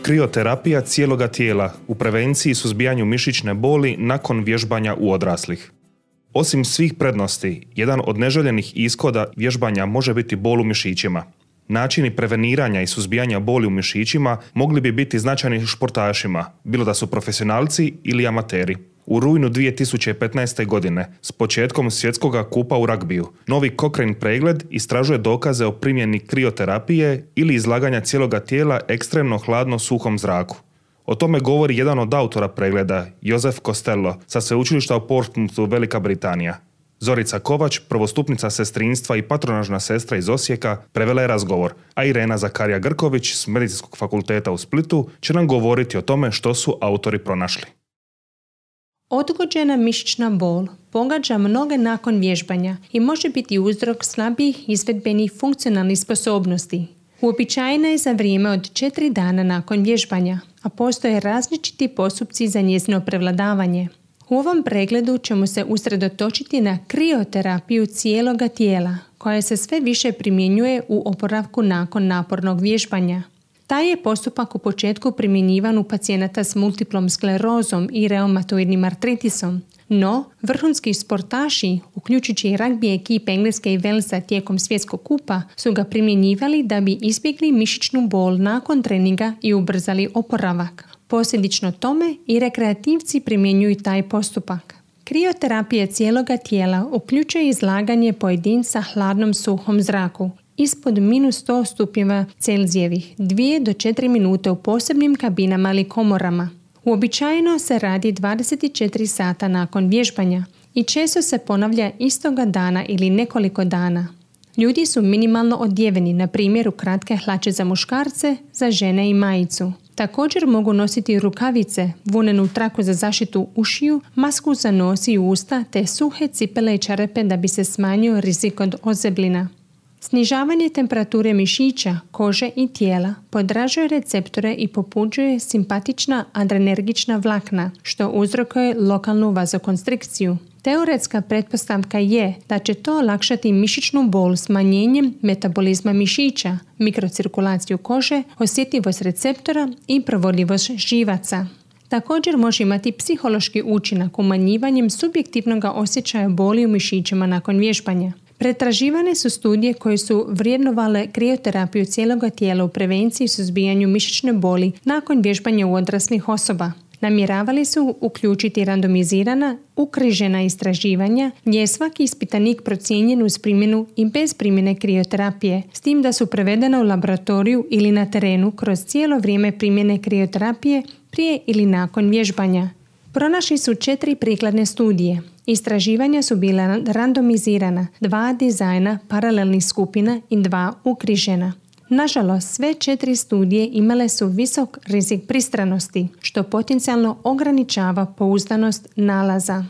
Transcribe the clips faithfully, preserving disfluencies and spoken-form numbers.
Krioterapija cijeloga tijela u prevenciji i suzbijanju mišićne boli nakon vježbanja u odraslih. Osim svih prednosti, jedan od neželjenih ishoda vježbanja može biti bol u mišićima. Načini preveniranja i suzbijanja boli u mišićima mogli bi biti značajni športašima, bilo da su profesionalci ili amateri. U rujnu dvije tisuće petnaeste. godine, s početkom svjetskog kupa u ragbiju, novi Cochrane pregled istražuje dokaze o primjeni krioterapije ili izlaganja cijeloga tijela ekstremno hladno suhom zraku. O tome govori jedan od autora pregleda, Joseph Costello, sa sveučilišta u Portsmouthu, Velika Britanija. Zorica Kovač, prvostupnica sestrinstva i patronažna sestra iz Osijeka, prevela je razgovor, a Irena Zakarija Grković s Medicinskog fakulteta u Splitu će nam govoriti o tome što su autori pronašli. Odgođena mišićna bol pogađa mnoge nakon vježbanja i može biti uzrok slabijih izvedbenih funkcionalnih sposobnosti. Uobičajena je za vrijeme od četiri dana nakon vježbanja, a postoje različiti postupci za njezino prevladavanje. U ovom pregledu ćemo se usredotočiti na krioterapiju cijeloga tijela, koja se sve više primjenjuje u oporavku nakon napornog vježbanja. Taj je postupak u početku primjenjivan u pacijenata s multiplom sklerozom i reumatoidnim artritisom, no vrhunski sportaši, uključujući i ragbi ekipe Engleske i Walesa tijekom svjetskog kupa, su ga primjenjivali da bi izbjegli mišićnu bol nakon treninga i ubrzali oporavak. Posljedično tome i rekreativci primjenjuju taj postupak. Krioterapija cijeloga tijela uključuje izlaganje pojedinca hladnom suhom zraku ispod minus sto stupnjeva Celzijevih, dvije do četiri minute u posebnim kabinama ili komorama. Uobičajeno se radi dvadeset četiri sata nakon vježbanja i često se ponavlja istoga dana ili nekoliko dana. Ljudi su minimalno odjeveni, na primjer u kratke hlače za muškarce, za žene i majicu. Također mogu nositi rukavice, vunenu traku za zaštitu ušiju, masku za nos i usta te suhe cipele i čarape da bi se smanjio rizik od ozebljina. Snižavanje temperature mišića, kože i tijela podražuje receptore i popuđuje simpatična adrenergična vlakna, što uzrokuje lokalnu vazokonstrikciju. Teoretska pretpostavka je da će to olakšati mišićnu bol smanjenjem metabolizma mišića, mikrocirkulaciju kože, osjetljivost receptora i provodljivost živaca. Također može imati psihološki učinak umanjivanjem subjektivnog osjećaja boli u mišićima nakon vježbanja. Pretraživane su studije koje su vrijednovale krioterapiju cijeloga tijela u prevenciji i suzbijanju mišićne boli nakon vježbanja u odraslih osoba. Namjeravali su uključiti randomizirana, ukrižena istraživanja gdje je svaki ispitanik procijenjen uz primjenu i bez primjene krioterapije, s tim da su prevedena u laboratoriju ili na terenu kroz cijelo vrijeme primjene krioterapije prije ili nakon vježbanja. Pronašli su četiri prikladne studije. Istraživanja su bila randomizirana, dva dizajna paralelnih skupina i dva ukrižena. Nažalost, sve četiri studije imale su visok rizik pristranosti, što potencijalno ograničava pouzdanost nalaza.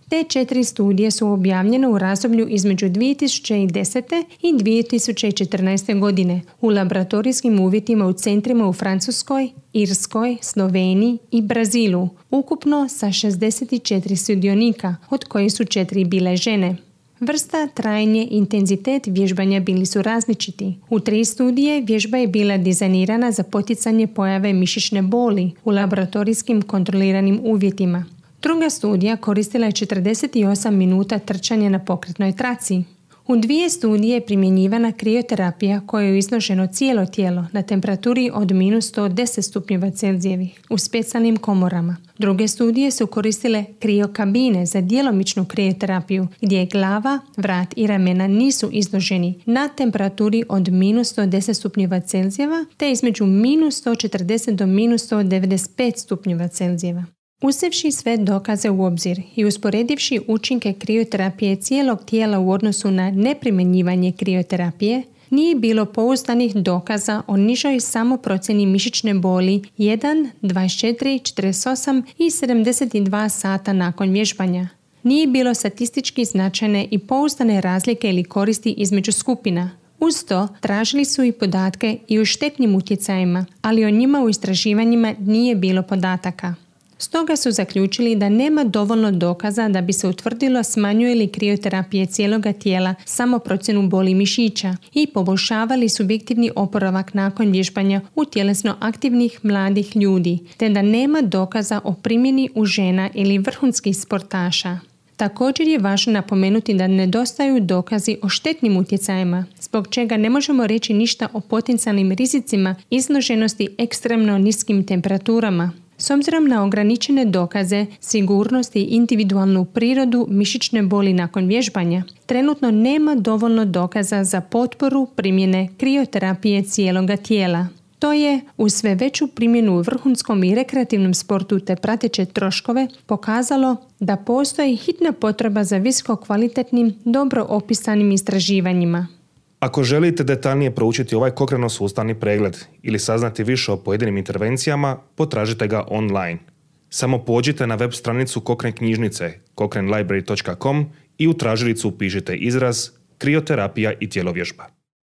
Te četiri studije su objavljene u razdoblju između dvije tisuće desete i dvije tisuće četrnaeste. godine u laboratorijskim uvjetima u centrima u Francuskoj, Irskoj, Sloveniji i Brazilu, ukupno sa šezdeset četiri sudionika, od kojih su četiri bile žene. Vrsta, trajanje i intenzitet vježbanja bili su različiti. U tri studije vježba je bila dizajnirana za poticanje pojave mišićne boli u laboratorijskim kontroliranim uvjetima. Druga studija koristila je četrdeset osam minuta trčanja na pokretnoj traci. U dvije studije je primjenjivana krioterapija koja je izloženo cijelo tijelo na temperaturi od minus sto deset stupnjeva Celzijevih u specijalnim komorama. Druge studije su koristile kriokabine za djelomičnu krioterapiju gdje je glava, vrat i ramena nisu izloženi na temperaturi od minus sto deset stupnjeva Celzijeva te između minus sto četrdeset do minus sto devedeset pet stupnjeva Celzijeva. Uzevši sve dokaze u obzir i usporedivši učinke krioterapije cijelog tijela u odnosu na neprimjenjivanje krioterapije, nije bilo pouzdanih dokaza o nižoj samoprocjeni mišićne boli jedan, dvadeset četiri, četrdeset osam i sedamdeset dva sata nakon vježbanja. Nije bilo statistički značajne i pouzdane razlike ili koristi između skupina. Uz to, tražili su i podatke i o štetnim utjecajima, ali o njima u istraživanjima nije bilo podataka. Stoga su zaključili da nema dovoljno dokaza da bi se utvrdilo smanjuje li krioterapija cijeloga tijela samo procjenu boli mišića i poboljšavali subjektivni oporavak nakon vježbanja u tjelesno aktivnih mladih ljudi, te da nema dokaza o primjeni u žena ili vrhunskih sportaša. Također je važno napomenuti da nedostaju dokazi o štetnim utjecajima, zbog čega ne možemo reći ništa o potencijalnim rizicima izloženosti ekstremno niskim temperaturama. S obzirom na ograničene dokaze, sigurnost i individualnu prirodu mišićne boli nakon vježbanja, trenutno nema dovoljno dokaza za potporu primjene krioterapije cijeloga tijela. To je, uz sve veću primjenu u vrhunskom i rekreativnom sportu te prateće troškove, pokazalo da postoji hitna potreba za visoko kvalitetnim, dobro opisanim istraživanjima. Ako želite detaljnije proučiti ovaj kokreno-sustavni pregled ili saznati više o pojedinim intervencijama, potražite ga online. Samo pođite na web stranicu Cochrane knjižnice cochrane library dot com i u tražilicu upišite izraz krioterapija i tjelovježba.